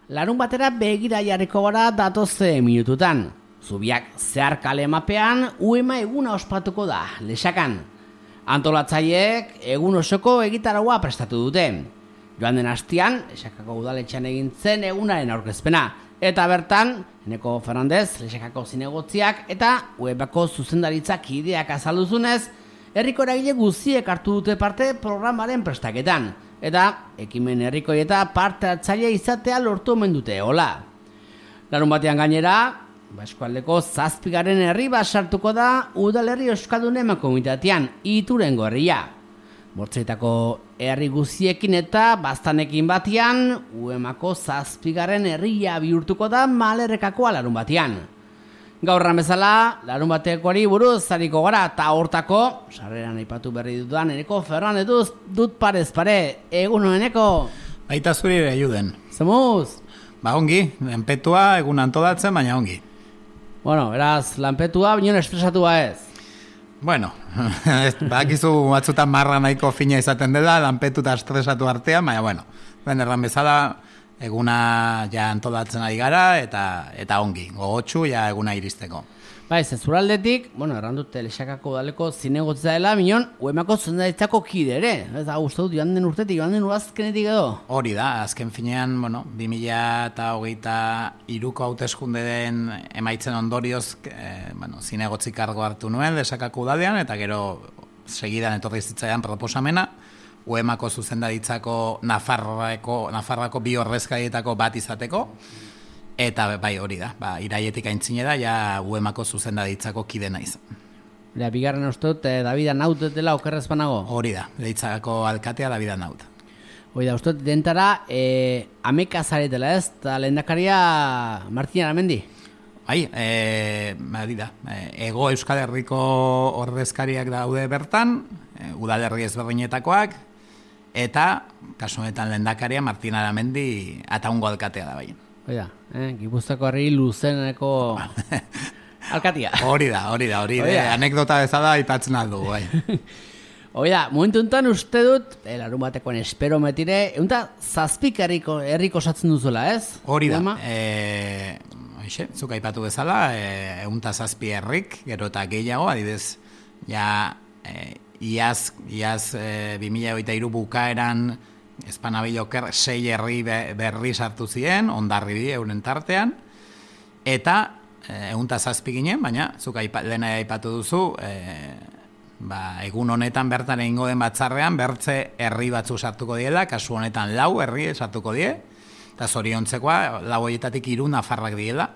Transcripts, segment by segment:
Larun batera begira jarriko gara datoze minututan. Zubiak zeharkale mapean uema eguna ospatuko da, Lexakan. Antolatzaileek egun osoko egitaraua prestatu dute. Joan den astean, Lexakako udaletxean egin zen egunaren aurkezpena. Eta bertan, Eneko Fernandez, Lexakako zinegotziak eta uebako zuzendaritzak ideak azalduzunez, herriko eragile guztiek hartu dute parte programaren prestaketan. Eta ekimen herrikoi eta parte hartzaile izatea lortu omen dute, hola. Larun batean gainera, eskualdeko 7. herri bat sartuko da udalerri euskaldunen mankomunitatean, Iturengo herria. Bortzeitako herri guztiekin eta baztanekin batean, uemako 7. herria bihurtuko da Malerrekakoa larun batean. Gaurran bezala, larun batekoari buruz zariko gara, eta hortako, sarreran aipatu berri dudan Eneko Fernandez dut parez pare, egun honeneko. Baita zuri ere juden. Zemuz? Ba ongi, lanpetua egun antolatzen, baina ongi. Bueno, beraz, lanpetua, bineon estresatua ez. Bueno, bakizu batzutan marra nahiko fina izaten dela, lanpetu eta estresatu artean, baina bueno, ben erran bezala, eguna ja antolatzen ari gara, eta ongi, gogotsu ja eguna iristeko. Bai, zuraldetik, bueno, errandute Lexakako udaleko zinegotza dela, minon, uemako zuzendaritzako kide ere. Ez da, uste dut, joan den urtetik, joan den uazkenetik edo. Hori da, azken finean, bueno, 2023ko hauteskundeen emaitzen ondorioz, zinegotzi kargo hartu nuen Lexakako udalean, eta gero segidan etorri zitzaidan proposamena, uemako zuzendaritzako Nafarroako 2 ordezkarietako bat izateko, eta bai hori da, iraietik aintzine da, ja uemako zuzendaritzako kide naiz. Bigarren uste dut, David Anaut dela okerrez banago? Hori da, Leitzako alkatea David Anaut. Hori da, uste dut, dentara, ameka zaretela ez, eta lehendakaria Martin Aramendi? Bai, da, Ego Euskal Herriko ordezkariak daude bertan, udalerri ezberdinetakoak, eta, kasu honetan lehendakaria Martin Aramendi Ataungo alkatea da bai. Oida, Gipuzkoako herri luzeneko alkatia. Hori da, anekdota bezala aipatzen aldu, bai. Oida, momentu enten uste dut, larun batekoen esperometire, egunta 7 herriko osatzen duzuela, ez? Hori da, zuk aipatu bezala, egunta 7 herrik, gero eta gehiago, adibidez, ja, iaz 2023 bukaeran, Espanabiloker 6 herri berri sartu ziren, Hondarribi euren tartean, eta egunta 7 ginen, baina zuk lehena aipatu duzu, egun honetan bertan egingo den batzarrean, bertze herri batzu sartuko diela, kasu honetan 4 herri sartuko die, eta zoriontzekoa 4 horietatik 3 Nafarrak diela,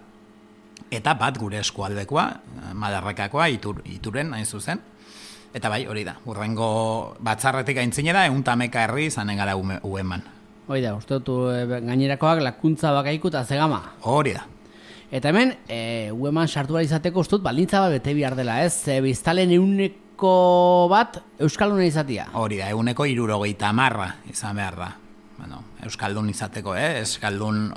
eta bat gure eskualdekoa, Malerrekakoa, Ituren, hain zuzen. Eta bai, hori da, urrengo batzarretik aintzinera, 111 herri izanen gara ueman. Hori da, uste dut gainerakoak lakuntza bakaiku eta zegama. Hori da. Eta hemen, ueman sartu behar izateko uste dut balintza bat bete bihar dela, ez? Biztalen 100 bat Euskalduna izatia. Hori da, 170 izan behar da. Bueno, Euskaldun izateko, Euskaldun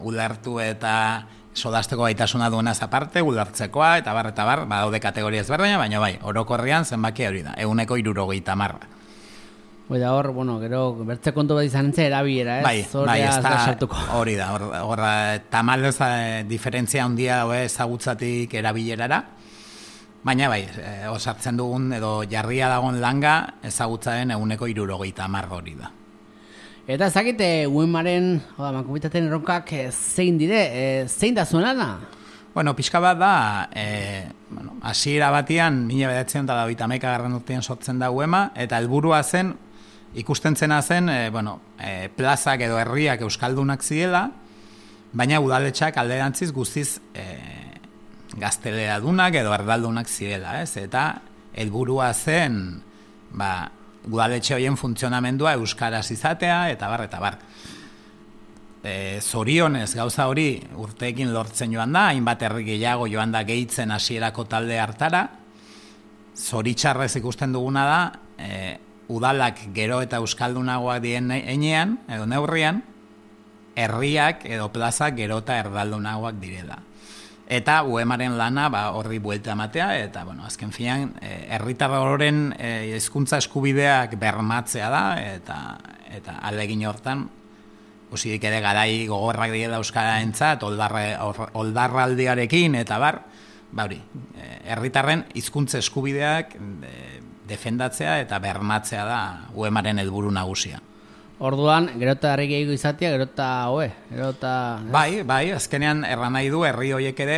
ulertu eta sodasteko gaitasuna duenaz aparte, ulertzekoa, eta bar, badaude kategoria ezberdina, baina bai, orokorrean zenbaki hori da, 170. Hoi da hor, bueno, gero, bertze kontu bat izan entzea erabilera, ez? Bai, ez da, hori da, hor tamalez diferentzia handia ezagutzatik erabilerara, baina bai, osartzen dugun, edo jarria dagoen langa, ezagutzaren 170 hori da. Eta ezakite, uemaren, mankomunitateen erronkak zein dire, zein da zuen lana? Bueno, pixka bat da, hasiera batean, 1991 urtean sortzen da uema, eta helburua zen, ikusten zena zen, plazak edo herriak euskaldunak zirela, baina udaletxak alderantziz guztiz gazteleadunak edo erdaldunak zirela, ez? Eta helburua zen, udaletxe horien funtzionamendua euskaraz izatea, eta bar. Zorionez gauza hori urteekin lortzen joan da, hainbat herri gehiago joan da gehitzen hasierako talde hartara. Zoritxarrez ikusten duguna da, udalak gero eta euskaldunagoak dien heinean, edo neurrian, herriak edo plazak gero eta erdaldunagoak direla. Eta uemaren lana horri buelta ematea, eta azken finean herritar horren hizkuntza eskubideak bermatzea da, eta ahalegin hortan Osirik ere garai gogorrak direla euskararentzat, oldarraldiarekin eta bar, hori, herritarren hizkuntza eskubideak defendatzea eta bermatzea da UEMaren helburu nagusia. Orduan, gerota herri gehiago izatea, gerota hobe, gerota... Bai, azkenean erran nahi du herri horiek ere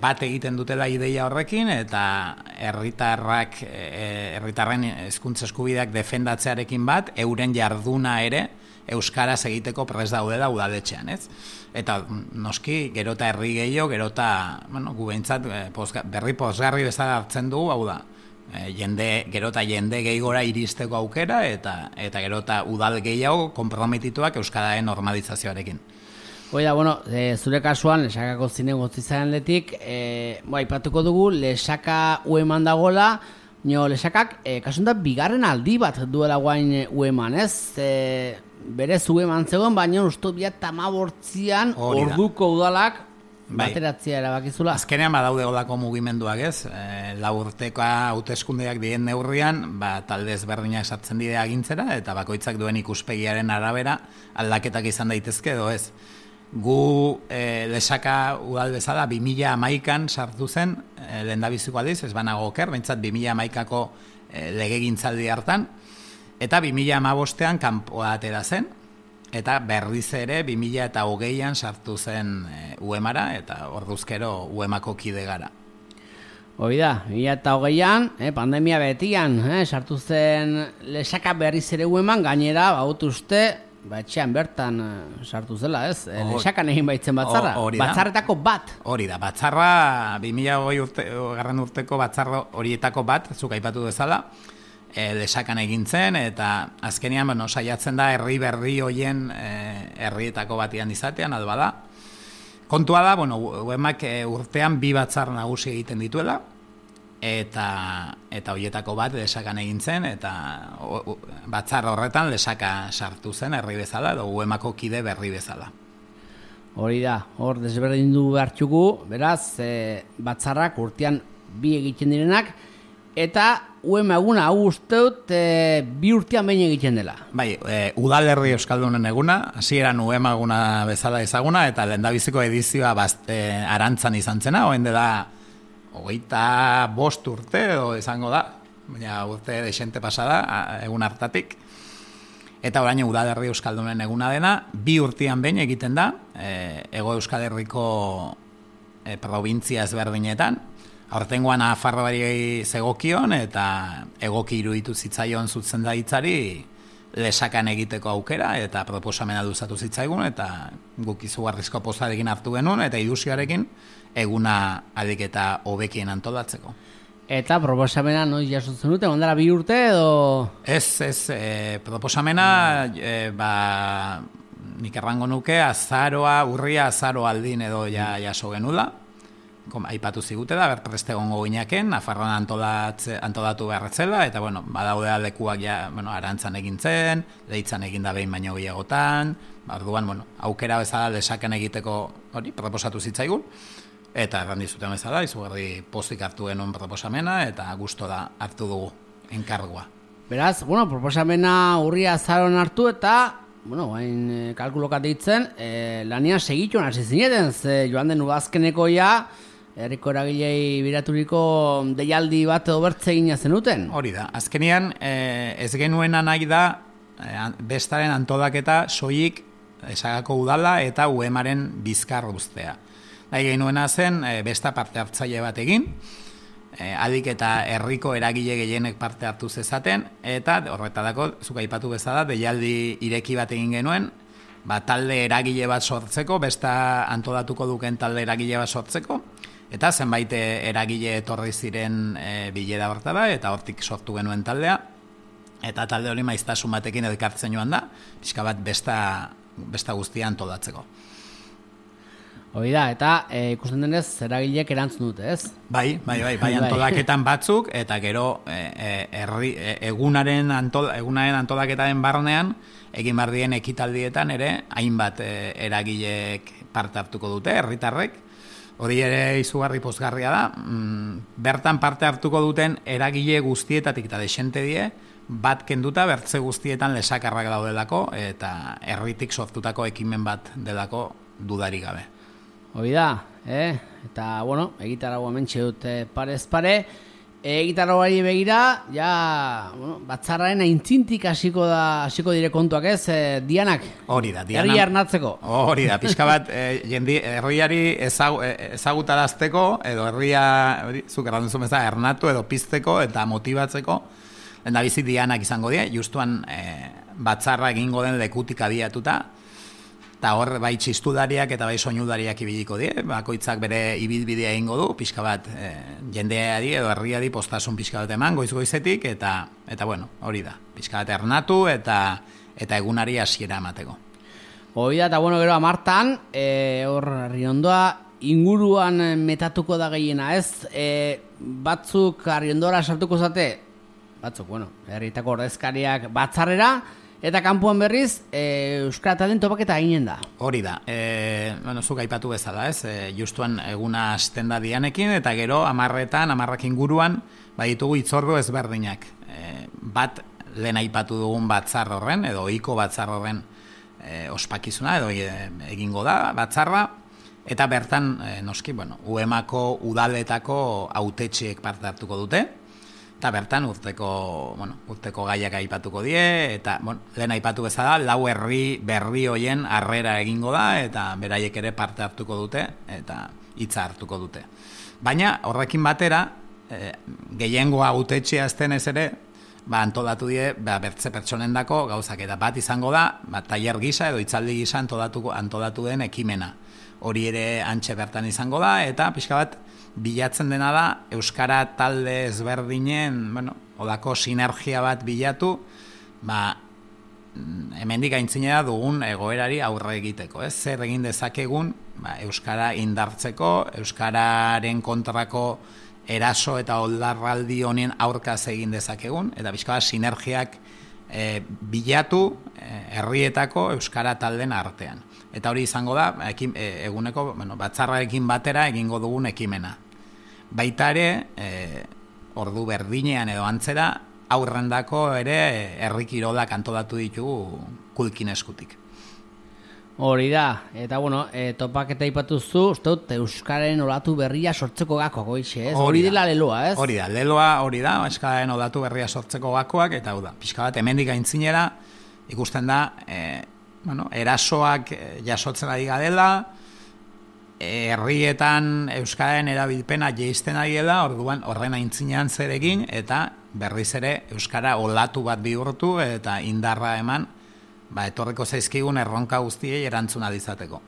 bat egiten dutela ideia horrekin eta herritarren hizkuntza eskubideak defendatzearekin bat, euren jarduna ere euskaraz egiteko prest daudela udaletxean, ez? Eta noski, gerota herri gehiago, gerota, gu behintzat berri pozgarri bezala hartzen dugu, hau da, gerota jende gehigora iristeko aukera eta gerota udal gehiago konprometituak euskararen normalizazioarekin. Oida, zure kasuan, Lesakako zine gotzizaren letik, aipatuko dugu, Lesaka UEMan dagoela, Lesakak, kasuntan, bigarren aldi bat duela guain UEMan, ez? Berez UEMan zegoen, baina usto biat tamabortzian orduko udalak bateratzea erabakizula. Azkenean badaude odako mugimenduak, ez? 4 urteko hauteskundeak diren neurrian, talde ezberdinak sartzen dira agintzera, eta bakoitzak duen ikuspegiaren arabera aldaketak izan daitezke edo ez. Gu Lesaka udal bezala 2011an sartu zen, lehendabiziko aldiz, ez banago oker, behintzat 2011ako legegintzaldi hartan, eta 2015an kanpoa atera zen, eta berriz ere 2020an sartu zen UEMara, eta orduzkero UEMako kide gara. Hoi da, 2020an, pandemia betian, sartu zen Lesaka berriz ere UEMan, gainera, uste, etxean bertan sartu zela, ez? Lesakan egin baitzen batzarra, batzarretako bat. Hori da, batzarra, 2020 urteko batzarra horietako bat, zuk aipatu dezala, Lesakan egin zen, eta azkenean saiatzen da herri berri hoien herrietako batian izatean, alba da. Kontua da, UEMak urtean 2 batzar nagusi egiten dituela, eta horietako bat Lesakan egin zen, eta batzar horretan Lesaka sartu zen herri bezala, edo UEMako kide berri bezala. Hori da, hor desberdindu behartxugu, beraz, batzarrak urtean 2 egiten direnak, eta UEM eguna hau usteut 2 urtean behin egiten dela. Bai, udalerri euskaldunen eguna, hasieran UEM eguna bezala ezaguna, eta lehendabiziko edizioa arantzan izan zena, oen dela 25 urte edo izango da, baina urte desente pasada, egun hartatik. Eta orain udalerri euskaldunen eguna dena, 2 urtean behin egiten da, Hego Euskal Herriko provintzia ezberdinetan, aurtengoan Nafarroari zegokion eta egoki iruditu zitzaion zuzendaritzari Lesakan egiteko aukera eta proposamena luzatu zitzaigun eta guk izugarrizko pozarekin hartu genuen eta ilusioarekin eguna ahalik eta hobekien antolatzeko. Eta proposamena noiz jasotzen dute, ondara 2 urte edo? Ez, proposamena nik errango nuke urria azaro aldin edo jaso genula. Aipatu zigute da, berpreste gongo ginaken, Nafarroan antolatu beharretzela, eta badaude lekuak arantzan egin zen, leitzan egin da behin baino gehiagotan, orduan, aukera bezala Lesakan egiteko hori proposatu zitzaigun, eta errandi zuten bezala, izugarri pozik hartu genuen proposamena, eta gusto da hartu dugu enkargua. Beraz, proposamena urria azaron hartu, eta hain kalkulokat ditzen, lanian segituen hasi zineten, joan den udazkeneko herriko eragilei biraturiko deialdi bat obertze egina zenuten? Hori da, azkenean ez genuena nahi da bestaren antolaketa soilik Lesakako udala eta UEMaren bizkar uztea. Nahi genuena zen besta parte hartzaile bat egin, adik eta herriko eragile gehienek parte hartu zezaten, eta horretarako, zuk aipatu bezala, deialdi ireki bat egin genuen, talde eragile bat sortzeko, besta antolatuko duken talde eragile bat sortzeko, eta zenbait eragile etorri ziren bilera hortara, eta hortik sortu genuen taldea, eta talde hori maiztasun batekin elkartzen joan da, pixka bat besta guztia antolatzeko. Hori da, eta ikusten denez, eragileek erantzun dute, ez? Bai, antolaketan batzuk, eta gero egunaren antolaketaren barnean, egin behar dien ekitaldietan ere, hainbat eragileek parte hartuko dute, herritarrek. Hori ere izugarri pozgarria da, bertan parte hartuko duten eragile guztietatik eta desente die, bat kenduta bertze guztietan lesakarrak daudelako eta herritik sortutako ekimen bat delako dudarik gabe. Hoi da, eta, bueno, egitaragua mentxe dut parez pare. Egitaragari begira, ja, bueno, batzarraren aintzintik hasiko dire kontuak ez, Dianak? Hori da, Diana. Herria ernatzeko. Hori da, pixka bat, herriari ezagutarazteko, edo herria, zuk errandu zuen bezala, ernatu edo pizteko eta motibatzeko, lehen da bizi Dianak izango die, justuan batzarra egingo den lekutik abiatuta, eta hor bai txistudariak eta bai soinudariak ibiliko die, bakoitzak bere ibilbidea egingo du, pixka bat jendeari edo herriari postasun pixka bat eman goiz-goizetik, eta bueno, hori da, pixka bat ernatu eta egunari hasiera emateko. Hori da, eta bueno, gero amartan, hor Arriondoa inguruan metatuko da gehiena, ez? Batzuk Arriondora sartuko zate, batzuk, bueno, herrietako ordezkariak batzarrera, eta kanpoan berriz, euskara talen topaketa ginen da. Hori da, bueno, zuk aipatu bezala, ez? Justuan eguna hasten da Dianekin, eta gero amarrak inguruan, baditugu hitzordu ezberdinak. Bat lehen aipatu dugun batzar horren, edo ohiko batzar horren ospakizuna, edo egingo da batzarra, eta bertan, noski, bueno, UEMako udaletako hautetxeek parte hartuko dute, eta bertan urteko gaiak aipatuko die, eta lehen aipatu bezala, 4 herri berri hoien harrera egingo da, eta beraiek ere parte hartuko dute, eta hitza hartuko dute. Baina, horrekin batera, gehiengoa hautetxea aztenez ere, antolatu die, bertze pertsonendako gauzak, eta bat izango da, tailer gisa edo hitzaldi gisa antolatu den ekimena. Hori ere antxe bertan izango da, eta pixka bat, bilatzen dena da, euskara talde ezberdinen, odako sinergia bat bilatu, hemendik aintzinera dugun egoerari aurre egiteko, ez? Zer egin dezakegun, euskara indartzeko, euskararen kontrako eraso eta oldarraldi honen aurkaz egin dezakegun, eta pixka bat sinergiak bilatu herrietako euskara talden artean. Eta hori izango da, eguneko batzarrarekin batera egingo dugun ekimena. Baita ere, ordu berdinean edo antzera, aurrendako ere herri kirolak antolatu ditugu kulkin eskutik. Hori da, eta bueno, topaketa ipatuzu, uste dut, euskararen olatu berria sortzeko gako goixe, ez? Hori dela leloa, ez? Hori da, leloa hori da, euskararen olatu berria sortzeko gakoak, eta hau da, pixka bat, hemendik aintzinera, ikusten da, erasoak jasotzen ari gadela, herrietan euskararen erabilpena jeisten ari dela, orduan horren aintzinean zer egin, eta berriz ere euskara olatu bat bihurtu eta indarra eman, etorriko zaizkigun erronka guztiei erantzuna izateko.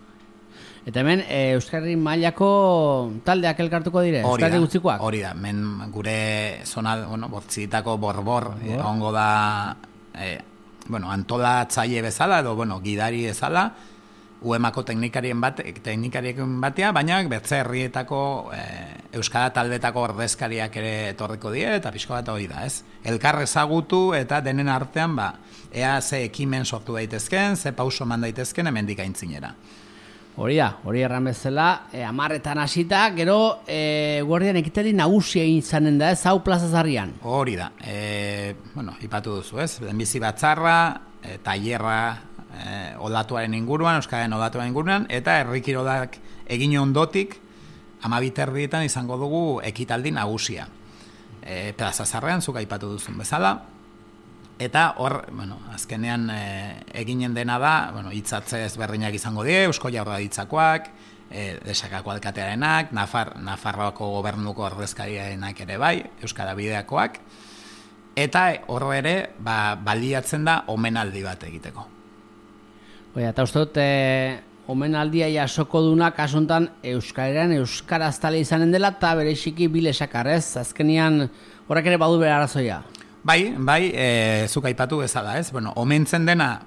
Eta hemen, euskarri mailako taldeak elkartuko dire, euskarri guztikoak? Hori da, hemen gure zona, bortzitako borbor, ongo da, antolatzaile bezala, edo, gidari bezala, UEMako teknikarien batea, baina bertze herrietako euskara taldetako ordezkariak ere etorriko die, eta pixko bat hori da, ez? Elkar ezagutu eta denen artean, ea ze ekimen sortu daitezken, ze pauso eman daitezken hemendik aintzinera. Hori da, hori erran bezala, 10 hasita, gero guardian ekitali nagusia izanen da, ez hau Plaza Zarrian? Hori da, ipatu duzu, ez? Lehenbizi batzarra, tailerra, olatuaren inguruan, euskararen olatuaren inguruan, eta herrikirolak egin ondotik, 12:30 izango dugu ekitaldi nagusia. Plaza Zarrean, zuk aipatu duzun bezala, eta hor, azkenean eginen dena da, hitzatze ezberdinak izango die, Eusko Jaurlaritzakoak, Lesakako alkatearenak, Nafarroako gobernuko ordezkariarenak ere bai, Euskara Bideakoak, eta hor ere, baliatzen da omenaldi bat egiteko. Eta uste dut, omenaldia jasoko duna kasuntan euskaleran euskaraztale izanen dela eta bereziki bilesakar, ez? Azkenian horrek ere badu bere arazoia. Bai, zuk aipatu bezala, ez? Omentzen dena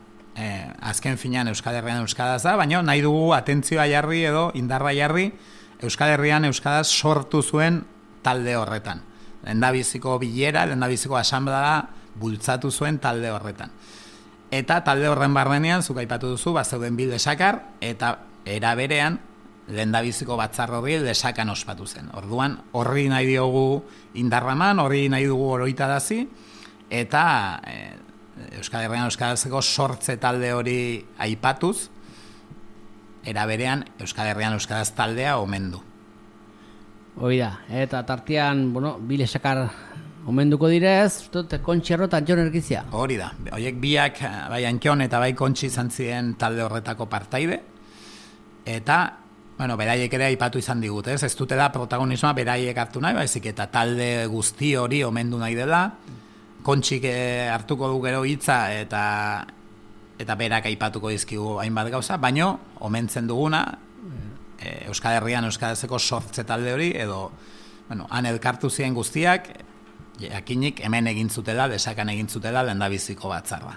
azken finean Euskal Herrian euskaraz da, baina nahi dugu atentzioa jarri edo indarra jarri Euskal Herrian euskaraz sortu zuen talde horretan. Lehendabiziko bilera, lehendabiziko asanblea bultzatu zuen talde horretan. Eta talde horren barrenean, zuk aipatu duzu, zeuden bi lesakar, eta era berean, lehendabiziko batzar horri lesakan ospatu zen. Orduan, horri nahi diogu indarraman, horri nahi dugu oroitarazi, eta Euskal Herrian Euskarazeko sortze talde hori aipatuz, era berean Euskal Herrian Euskaraz taldea omendu. Hoi da, eta tartean, bi lesakar omenduko direz, Kontxerro eta Antxon Ergizia. Hori da, horiek biak, bai Antxon eta bai Kontxi izan ziren talde horretako partaide, eta, beraiek ere aipatu izan digut, ez dute da protagonismoa beraiek hartu nahi, baizik eta talde guzti hori omendu nahi dela, Kontxik hartuko du gero hitza eta berak aipatuko dizkigu hainbat gauza, baino omentzen duguna Euskal Herrian Euskarazeko sortze talde hori, edo han elkartu ziren guztiak, jakinik hemen egin zutela, Lesakan egin zutela lehendabiziko batzarra.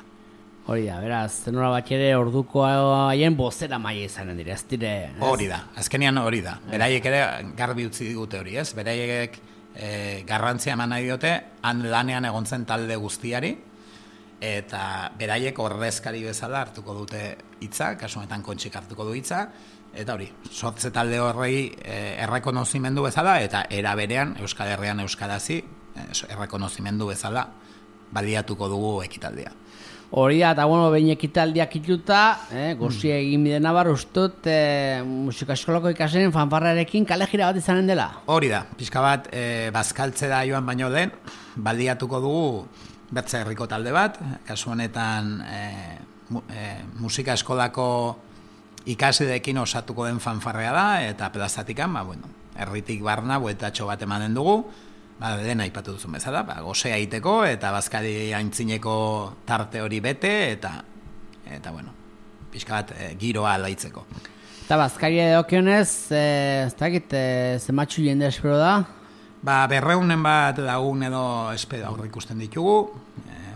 Hori da, beraz, zenora bat ere orduko haien bozera maia izanen dira, ez dire... Hori da, azkenian hori da. Beraiek ere garbi utzi digute hori, ez? Beraiek garrantzia eman nahi diote, han lanean egon zen talde guztiari, eta beraiek ordezkari bezala hartuko dute hitza, kasu honetan Kontxik hartuko du hitza, eta hori, sortze talde horrei errekonozimendu bezala, eta era berean Euskal Herrian Euskarazi errekonozimendu bezala baliatuko dugu ekitaldia. Hori da, eta behin ekitaldiak ituta, gozia egin bide nabar ustut musika eskolako ikasleen fanfarrarekin kale jira bat izanen dela. Hori da, pixka bat bazkaltzera joan baino lehen, baliatuko dugu Bertze Herriko talde bat, kasu honetan musika eskolako ikasideekin osatuko den fanfarrea da, eta plazatikan, herritik barna bueltatxo bat emanen dugu, lehen aipatu duzun bezala, gozea egiteko eta bazkari aintzineko tarte hori bete eta pixka bat giroa alaitzeko. Eta bazkari edokionez, ez dakit, zematxu jende espero da? 200 bat lagun edo espero aurre ikusten ditugu,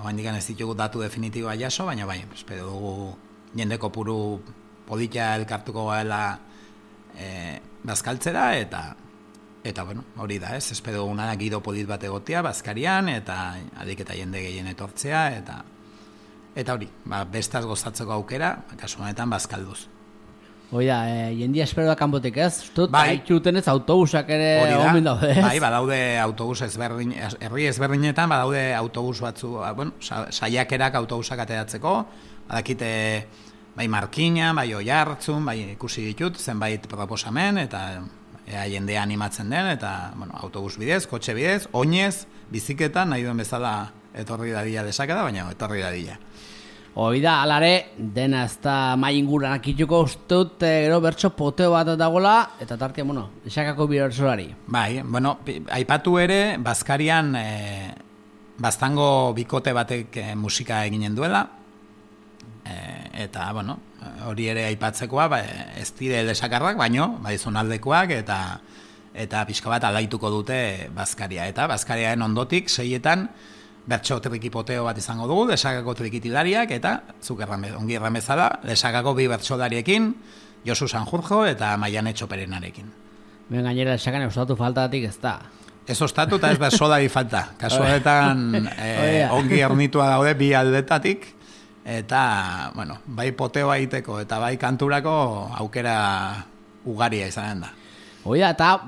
oraindik ez ditugu datu definitiboa jaso, baina bai, espero dugu jende kopuru polita elkartuko gaela bazkaltzera eta hori da, ez? Espero duguna da giro polit bat egotea bazkarian eta adik eta jende gehien etortzea eta hori, bestaz gozatzeko aukera, kasu honetan bazkalduz. Hoi da, jendia espero da kanpotik, ez? Baituten ez autobusak ere omen daude, ez? Bai, badaude autobus ezberdin, herri ezberdinetan badaude autobus batzu, saiakerak autobusak ateratzeko, badakite bai Markina, bai Oiartzun, bai ikusi ditut, zenbait proposamen, eta jendea animatzen den, eta autobus bidez, kotxe bidez, oinez, biziketan, nahi duen bezala etorri dadila Lesakara, baina etorri dadila. Hoi da, alare, dena ez da mai inguranak ituko ustut, gero bertso poteo bat dagoela, eta tartia, Lesakako bertsolari. Bai, aipatu ere, bazkarian baztango bikote batek musika eginen duela, eta, hori ere aipatzekoa, ez dire Lesakarrak, baino, zonaldekoak, eta pixka bat alaituko dute bazkaria. Eta bazkariaren ondotik, 6etan, bertso trikipoteo bat izango dugu, Lesakako trikitilariak, eta, zuk ongi erran bezala, Lesakako 2 bertsolariekin, Josu Sanjurjo eta Maiane Txoperenarekin. Gainera Lesakan ostatu faltatik ez da. Ez ostatu eta ez bertsolari falta. Kasu honetan ongi ernitua daude bi aldetatik, eta, bai poteoa egiteko eta bai kanturako aukera ugaria izanen da. Hoi da, eta,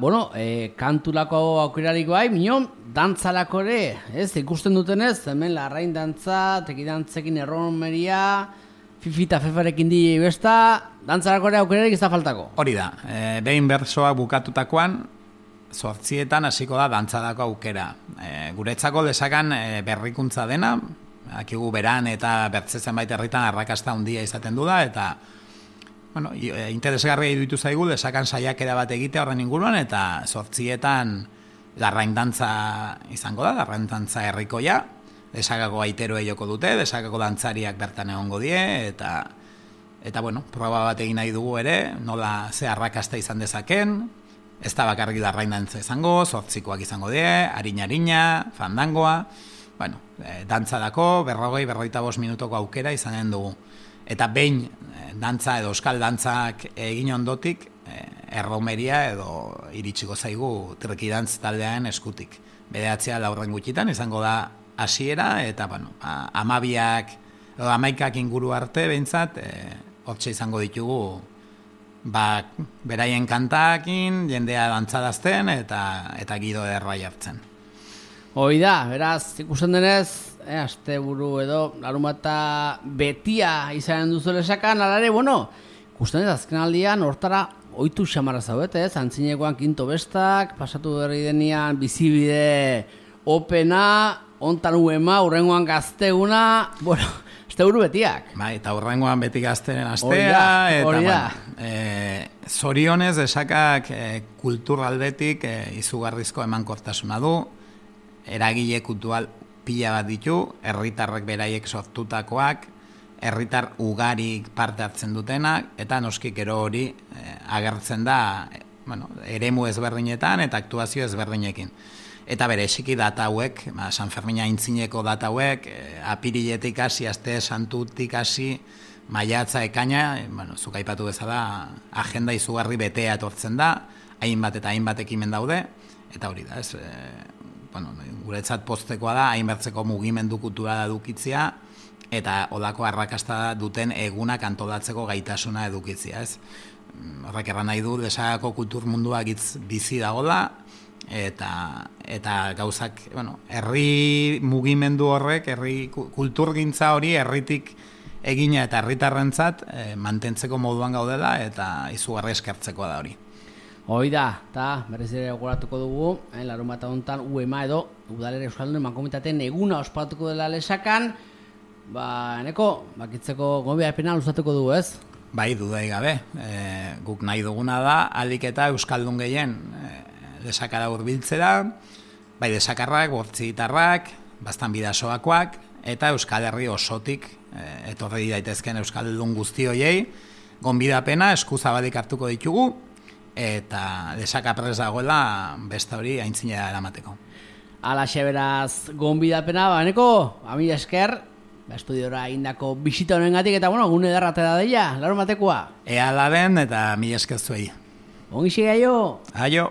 kanturako aukerarik bai, minon, dantzalako ere, ez, ikusten dutenez, hemen larrain dantza, tekidantzekin erromeria, fifita fefarekin di besta, dantzalako ere aukerarik ez da faltako. Hori da, behin bertsoak bukatutakoan, 8etan hasiko da dantzalako aukera. Guretzako Lesakan berrikuntza dena, akigu beran eta bertze zenbait herritan arrakasta handia izaten du da, eta interesgarria iruditu zaigu Lesakan saiakera bat egitea horren inguruan, eta 8etan larrain dantza izango da, larrain dantza herrikoia, Lesakako aiteroe joko dute, Lesakako dantzariak bertan egongo die, eta proba bat egin nahi dugu ere, nola ze arrakasta izan dezaken, ez da bakarrik larrain dantza izango, 8koak izango die, harina, fandangoa, dantzarako 40-45 minutoko aukera izanen dugu. Eta behin dantza edo euskal dantzak egin ondotik, erromeria edo iritsiko zaigu trikidantz taldearen eskutik. 9 gutxitan izango da hasiera eta 11 inguru arte behintzat, hortxe izango ditugu beraien kantakin, jendea dantzadazten eta gido errai hartzen. Hoi da, beraz, ikusten denez, asteburu edo larunbata betia izanen duzu Lesakan, alare, bueno, ikusten ez azken aldian hortara ohitu xamarra zaudete, antzinekoan kinto bestak, pasatu berri denean bizibide opena, ontan uema, urrengoan gazteguna, bueno, asteburu betiak. Bai, eta urrengoan beti gazteren astea, eta bueno, zorionez Lesakak kulturaldetik izugarrizko emankortasuna du, eragile kultural pila bat ditu, herritarrek beraiek sortutakoak, herritar ugarik parte hartzen dutenak, eta noski gero hori agertzen da eremu ezberdinetan eta aktuazio ezberdinekin. Eta bereziki data hauek, San Fermina aintzineko data hauek, apiriletik hasi, aste santutik hasi, maiatza ekaina, zuk aipatu bezala, agenda izugarri betea etortzen da, hainbat eta hainbat ekimen daude, eta hori da, guretzat poztekoa da, hainbertzeko mugimendu kultura edukitzea, eta odako arrakasta duten egunak antolatzeko gaitasuna edukitzea, ez? Horrek erran nahi du, Lesakako kultur mundua bizi dagoela, eta gauzak, herri mugimendu horrek, herri kulturgintza hori herritik egina eta herritarrentzat mantentzeko moduan gaudela eta izugarri eskertzekoa da hori. Hoi da, eta berriz ere gogoratuko dugu, larunbata hontan UEMA edo Udalera Euskaldun Mankomunitateen eguna ospatuko dela Lesakan, eneko, bakitzeko gonbidapena luzatuko dugu, ez? Bai, dudai gabe, guk nahi duguna da, ahalik eta Euskaldun gehien Lesakara hurbiltzera, bai Lesakarrak, bortzigitarrak, bastan bidasoakoak, eta Euskal Herri osotik etorri daitezken Euskaldun guzti hoiei, gonbidapena eskuzabalik hartuko ditugu, eta Lesaka prest dagoela beste hori aintzinera eramateko. Alaxe beraz gonbidapena, eneko, amila esker, estudiora indako bisita honengatik, eta gune ederrate da deia, larunbatekoa. Ea la den, eta mila esker zuei. Ongi xegaio! Aio!